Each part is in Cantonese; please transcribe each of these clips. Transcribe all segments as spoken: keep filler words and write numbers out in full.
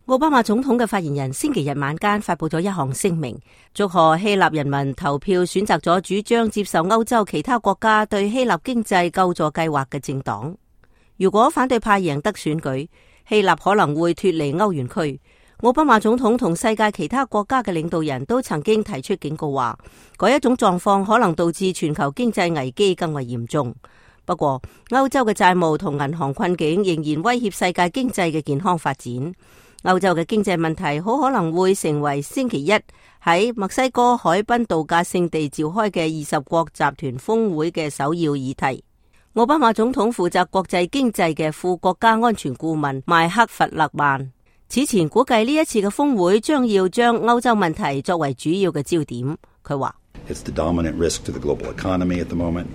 奧巴馬總統嘅發言人星期日晚間發佈咗一項聲明，祝賀希臘人民投票選擇咗主張接受歐洲其他國家對希臘經濟救助計劃嘅政黨。如果反對派贏得選舉，希臘可能會脫離歐元區。奧巴馬總統同世界其他國家嘅領導人都曾經提出警告話，嗰一種狀況可能導致全球經濟危機更為嚴重。不過，歐洲嘅債務同銀行困境仍然威脅世界經濟嘅健康發展。歐洲嘅經濟問題好可能會成為星期一喺墨西哥海濱度假勝地召開嘅二十國集團峰會嘅首要議題。奧巴馬總統負責國際經濟嘅副國家安全顧問邁克弗勒曼此前估計呢一次嘅峰會將要將歐洲問題作為主要嘅焦點。佢話：It's the dominant risk to the global economy at the moment.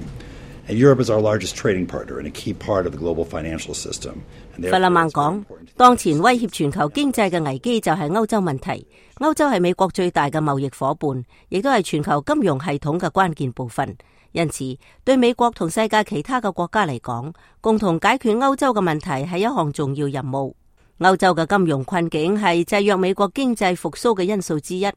And Europe is our largest trading partner and a key part of the global financial system. 弗勒曼講，當前威脅全球經濟嘅危機就係歐洲問題。歐洲係美國最大嘅貿易夥伴，亦都係全球金融系統嘅關鍵部分。因此，對美國同世界其他嘅國家嚟講，共同解決歐洲嘅問題係一項重要任務。歐洲嘅金融困境係制約美國經濟復甦嘅因素之一。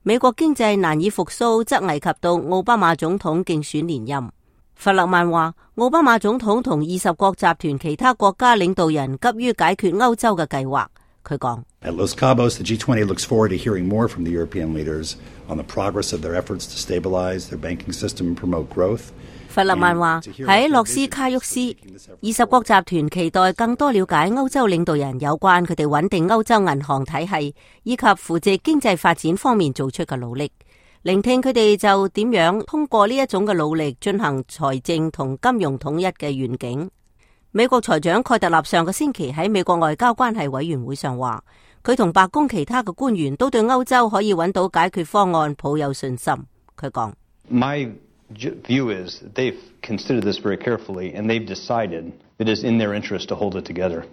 美國經濟難以復甦，則危及到奧巴馬總統競選連任。弗勒曼話，奧巴馬總統同二十國集團其他國家領導人急於解決歐洲嘅計劃。佢講：At Los Cabos, the G twenty looks forward to hearing more from the European leaders on the progress of their efforts to stabilize their banking system and promote growth。弗勒曼話，喺洛斯卡沃斯，二十國集團期待更多了解歐洲領導人有關佢哋穩定歐洲銀行體系以及扶植經濟發展方面做出嘅努力。聆聽佢哋就點樣通過呢一種嘅努力進行財政同金融統一嘅願景。美國財長蓋特納上個星期喺美國外交關係委員會上話，佢同白宮其他嘅官員都對歐洲可以揾到解決方案抱有信心。佢講：My view is they've considered this very carefully and they've decided it is in their interest to hold it together。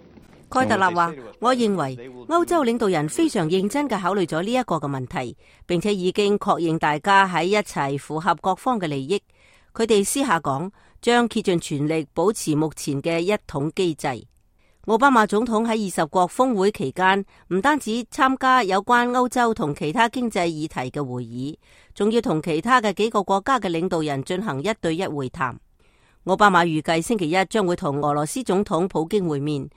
蓋特納話：我認為歐洲領導人非常認真嘅考慮咗呢一個嘅問題，並且已經確認大家喺一齊符合各方嘅利益。佢哋私下講，將竭盡全力保持目前嘅一統機制。奧巴馬總統喺二十國峰會期間，唔單止參加有關歐洲同其他經濟議題嘅會議，仲要同其他嘅幾個國家嘅領導人進行一對一會談。奧巴馬預計星期一將會同俄羅斯總統普京會面。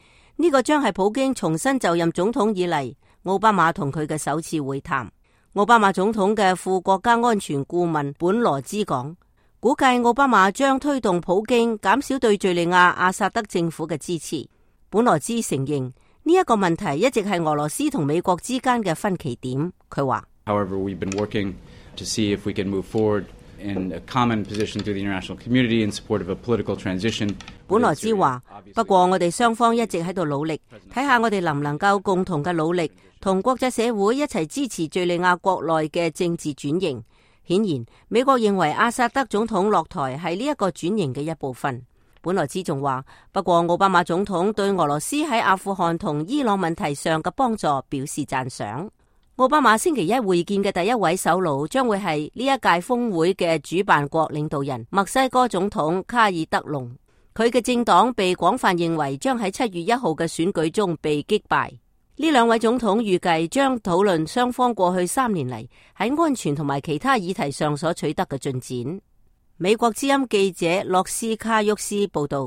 呢個將係普京重新就任總統以嚟，奧巴馬同佢嘅首次會談。奧巴馬總統嘅副國家安全顧問本羅茲講，估計奧巴馬將推動普京減少對敘利亞阿薩德政府嘅支持。本羅茲承認呢一個問題一直係俄羅斯同美國之間嘅分歧點。佢話 However, we've been working to see if we can move forward in a common position through the international community in support of a political transition。本羅茲話，不過我哋雙方一直喺度努力，睇下我哋能唔能夠共同嘅努力，同國際社會一齊支持敘利亞國內嘅政治轉型。顯然，美國認為阿薩德總統落台係呢一個轉型嘅一部分。本羅茲仲話，不過奧巴馬總統對俄羅斯喺阿富汗同伊朗問題上嘅幫助表示讚賞。奧巴馬星期一會見嘅第一位首腦將會係呢一屆峰會嘅主辦國領導人墨西哥總統卡爾德隆。佢嘅政黨被廣泛認為將喺七月一號嘅選舉中被擊敗。呢兩位總統預計將討論雙方過去三年嚟喺安全同埋其他議題上所取得嘅進展。美國之音記者洛斯卡沃斯報道。